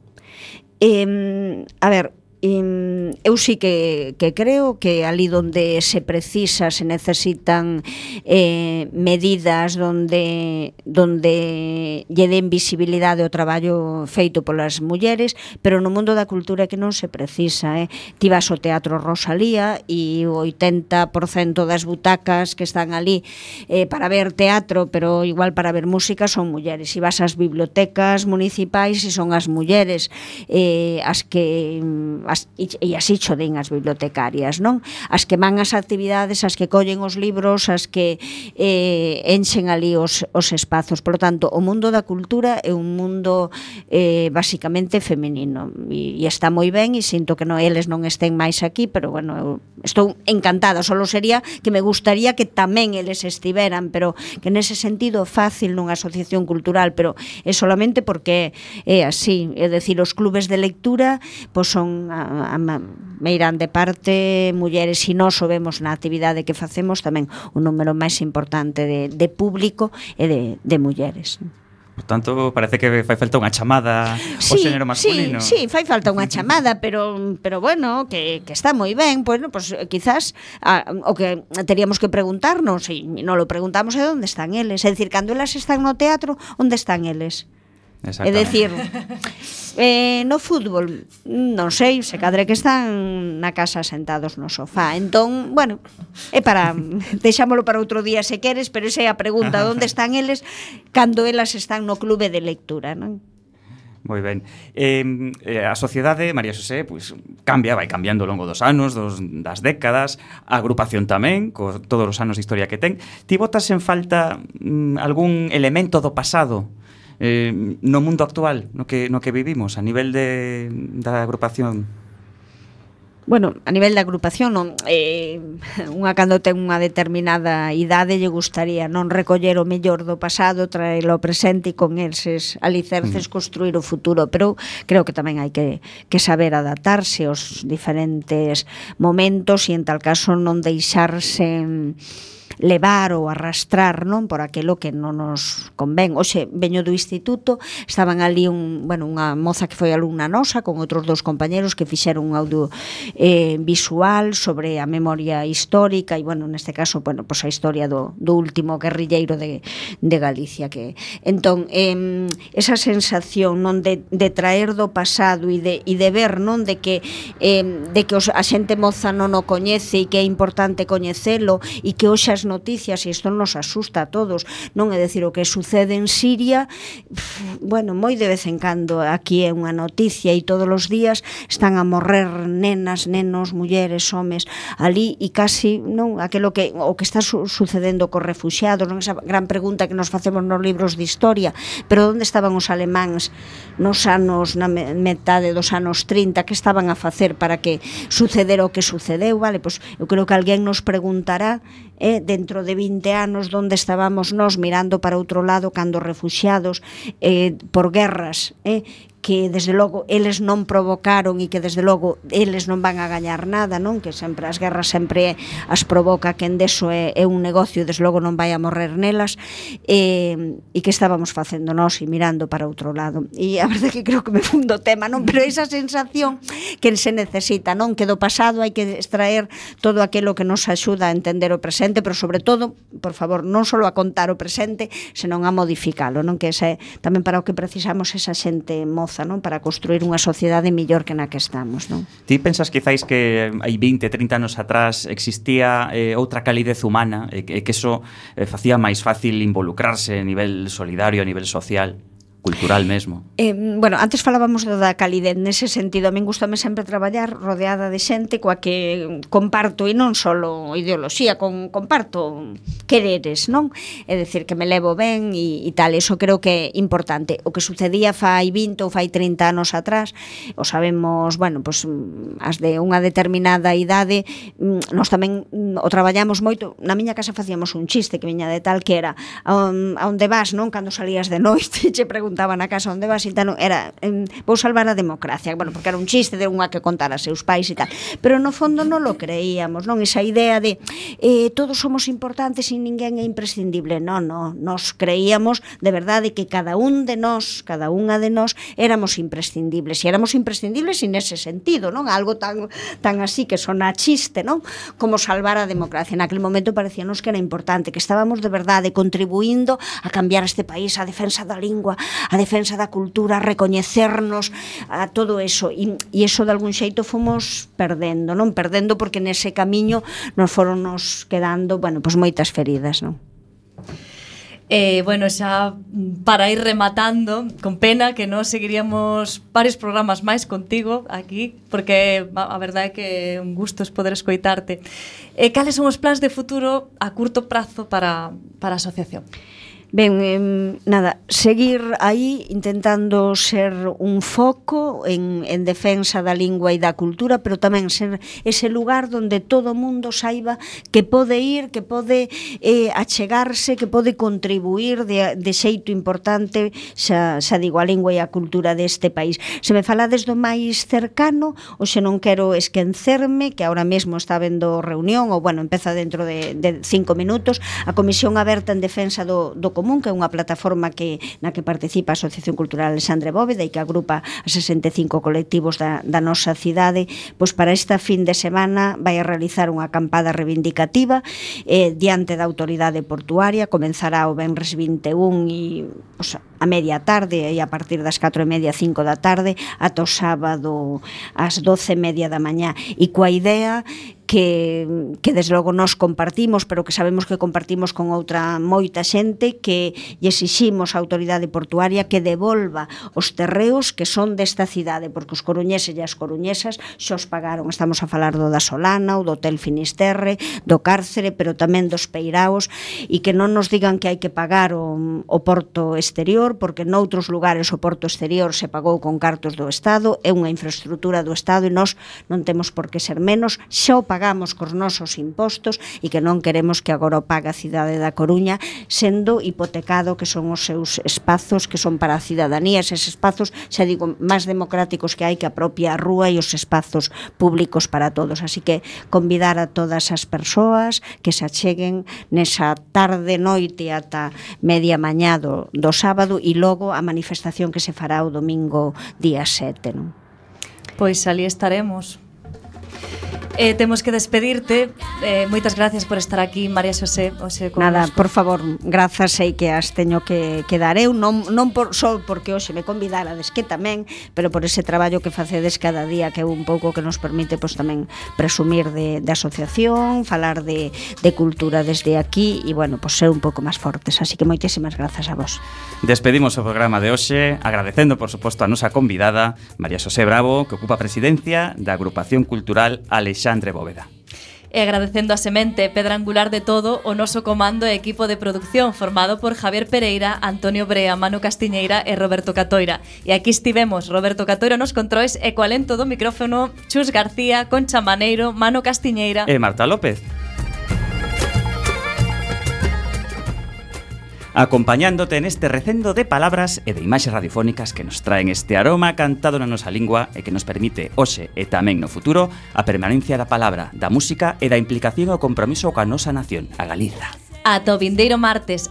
Eh, a ver, eh, eu sí que, que creo que ali donde se precisa, se necesitan eh, medidas donde donde lle den visibilidade ao traballo feito polas mulleres, pero no mundo da cultura que non se precisa, eh? Ti vas ao Teatro Rosalía e o oitenta por cento das butacas que están ali eh, para ver teatro, pero igual para ver música, son mulleres. E vas ás bibliotecas municipais e son as mulleres eh, as que as, e así cho din as bibliotecarias, non? As que van ás actividades, as que collen os libros, as que eh, enchen ali os, os espazos. Por lo tanto, o mundo da cultura é un mundo eh, basicamente feminino e, e está moi ben, e sinto que non, eles non estén máis aquí, pero bueno, eu estou encantada, solo sería que me gustaría que tamén eles estiveran, pero que nese sentido fácil nunha asociación cultural, pero é solamente porque é así, é dicir, os clubes de lectura pois son a, a meirán de parte mulleres, e nós o vemos na actividade que facemos tamén un número máis importante de, de público e de, de mulleres. Por tanto, parece que fai falta unha chamada ao sí, xénero masculino. Sí, sí, fai falta unha chamada, pero pero bueno, que, que está moi ben, bueno, pues quizás a, o que teríamos que preguntarnos, e non lo preguntamos, é onde están eles, é dicir, cando elas están no teatro, onde están eles? É dicir, eh, no fútbol non sei, se cadre que están na casa sentados no sofá. Entón, bueno, é para deixámolo para outro día se queres, pero esa é a pregunta, onde están eles cando elas están no clube de lectura, non? Moi ben. Eh, a sociedade, María Xosé, pois cambia, vai cambiando ao longo dos anos, dos, das décadas, a agrupación tamén, co todos os anos de historia que ten. Ti botas en falta mm, algún elemento do pasado eh, no mundo actual, no que, no que vivimos, a nivel de, da agrupación? Bueno, a nivel da agrupación non, eh, unha cando ten unha determinada idade lle gustaría non recoller o mellor do pasado, traelo ao presente e con eses alicerces construir o futuro, pero creo que tamén hai que, que saber adaptarse aos diferentes momentos e en tal caso non deixarse levar ou arrastrar, non, por aquilo que non nos convén. Oxe, veño do instituto, estaban ali un, bueno, unha moza que foi alumna nosa con outros dous compañeros que fixeron un audio eh, visual sobre a memoria histórica e, bueno, neste caso, bueno, pues a historia do, do último guerrilleiro de, de Galicia, que entón, eh, esa sensación, non, de, de traer do pasado e de, e de ver, non, de que eh, de que os, a xente moza non o coñece e que é importante coñecelo e que hoxe as noticias, e isto nos asusta a todos, non? É dicir, o que sucede en Siria, pff, bueno, moi de vez en cando aquí é unha noticia, e todos os días están a morrer nenas, nenos, mulleres, homes ali, e casi, non, aquilo que o que está su sucedendo cos refuxiados, non, esa gran pregunta que nos facemos nos libros de historia, pero onde estaban os alemáns nos anos, na metade dos anos trinta, que estaban a facer para que sucedera o que sucedeu, vale? Pois eu creo que alguén nos preguntará eh, dentro de vinte anos onde estábamos nós mirando para outro lado cando refuxiados eh, por guerras eh, que desde logo eles non provocaron e que desde logo eles non van a gañar nada, non? Que sempre as guerras sempre as provoca quen deso é, é un negocio e desde logo non vai a morrer nelas, e, e que estábamos facendo nós e mirando para outro lado. E a verdade que creo que me fundo o tema, non? Pero esa sensación que se necesita, non? Que do pasado hai que extraer todo aquilo que nos axuda a entender o presente, pero sobre todo, por favor, non só a contar o presente, senón a modificalo, non? Que ese, tamén para o que precisamos esa xente moza, non? Para construir unha sociedade mellor que na que estamos, non? Ti pensas quizáis que hai vinte, trinta anos atrás existía eh, outra calidez humana e que, que eso eh, facía máis fácil involucrarse a nivel solidario, a nivel social, cultural mesmo? Eh, bueno, antes falábamos do da calidez, nese sentido a min gustame sempre traballar rodeada de xente coa que comparto, e non só ideoloxía, con, comparto quereres, non? É dicir, que me levo ben e, e tal, eso creo que é importante. O que sucedía fai vinte ou fai trinta anos atrás, o sabemos, bueno, pues, as de unha determinada idade, nós tamén o traballamos moito. Na miña casa facíamos un chiste que viña de tal que era a onde vas, non? Cando salías de noite, che preguntaban na casa onde vas e tal, era eh, vou salvar a democracia, bueno, porque era un chiste de unha que contara a seus pais e tal, pero no fondo non lo creíamos, non? Esa idea de eh, todos somos importantes e ninguén é imprescindible, non, non, nos creíamos de verdade que cada un de nós, cada unha de nós éramos imprescindibles, e éramos imprescindibles en ese sentido, non? Algo tan, tan así que sona chiste, non? Como salvar a democracia. Naquele momento parecíanos que era importante, que estábamos de verdade contribuindo a cambiar este país, a defensa da lingua, a defensa da cultura, a recoñecernos, a todo eso, e, e eso de algún xeito fomos perdendo, non? Perdendo porque nese camiño nos foron nos quedando, bueno, pois moitas feridas, non? Eh, bueno, xa para ir rematando, con pena que nós seguiríamos varios programas máis contigo aquí, porque a verdade é que é un gusto poder escoitarte. Eh, cales son os plans de futuro a curto prazo para, para a asociación? Ben, eh, nada, seguir aí intentando ser un foco en, en defensa da lingua e da cultura, pero tamén ser ese lugar donde todo o mundo saiba que pode ir, que pode eh, achegarse, que pode contribuir de, de xeito importante, xa, xa digo, a lingua e a cultura deste país. Se me falades do máis cercano, ou se non quero esquencerme, que ahora mesmo está vendo reunión, ou bueno, empeza dentro de, de cinco minutos, a Comisión Aberta en Defensa do, do Común, que é unha plataforma que na que participa a Asociación Cultural Alexandre Bóveda e que agrupa a sesenta e cinco colectivos da, da nosa cidade, pois para esta fin de semana vai a realizar unha acampada reivindicativa eh, diante da autoridade portuaria. Comenzará o venres vinte e un e pois, a media tarde e a partir das catro e media, cinco da tarde ata o sábado ás doce e media da mañá, e coa idea que, que desde logo nós compartimos, pero que sabemos que compartimos con outra moita xente, que lle exiximos á autoridade portuaria que devolva os terreos que son desta cidade, porque os coruñeses e as coruñesas xa os pagaron. Estamos a falar do da Solana, o do Hotel Finisterre, do Cárcere, pero tamén dos Peiraos, e que non nos digan que hai que pagar o, o porto exterior, porque noutros lugares o porto exterior se pagou con cartos do Estado, é unha infraestructura do Estado e nós non temos por que ser menos, xa o pagamos cos nosos impostos e que non queremos que agora o pague a cidade da Coruña, sendo hipotecado que son os seus espazos que son para a cidadanía, eses espazos, xa digo, máis democráticos que hai que a propia rúa e os espazos públicos para todos. Así que convidar a todas as persoas que se acheguen nesa tarde, noite ata media mañá do, do sábado, e logo a manifestación que se fará o domingo día sete, non? Pois ali estaremos. Eh, temos que despedirte. Eh, moitas gracias por estar aquí, María Xosé. Oxe, Nada, por favor, grazas, sei que as teño que, que dar eu, non, non por, só porque hoxe me convidarades, que tamén, pero por ese traballo que facedes cada día, que é un pouco que nos permite pois, tamén presumir de, de asociación, falar de, de cultura desde aquí e, bueno, pois ser un pouco máis fortes. Así que moitísimas grazas a vos. Despedimos o programa de hoxe agradecendo, por suposto, a nosa convidada María Xosé Bravo, que ocupa a presidencia da Agrupación Cultural Alexandre Bóveda. E agradecendo a semente, pedra angular de todo, o noso comando e equipo de producción formado por Javier Pereira, Antonio Brea, Manu Castiñeira e Roberto Catoira. E aquí estivemos, Roberto Catoira nos controis e co alento do micrófono, Chus García, Concha Maneiro, Manu Castiñeira e Marta López. Acompañándote neste recendo de palabras e de imaxes radiofónicas que nos traen este aroma cantado na nosa lingua e que nos permite hoxe e tamén no futuro a permanencia da palabra, da música e da implicación e o compromiso coa nosa nación, a Galiza. Ata o vindeiro martes.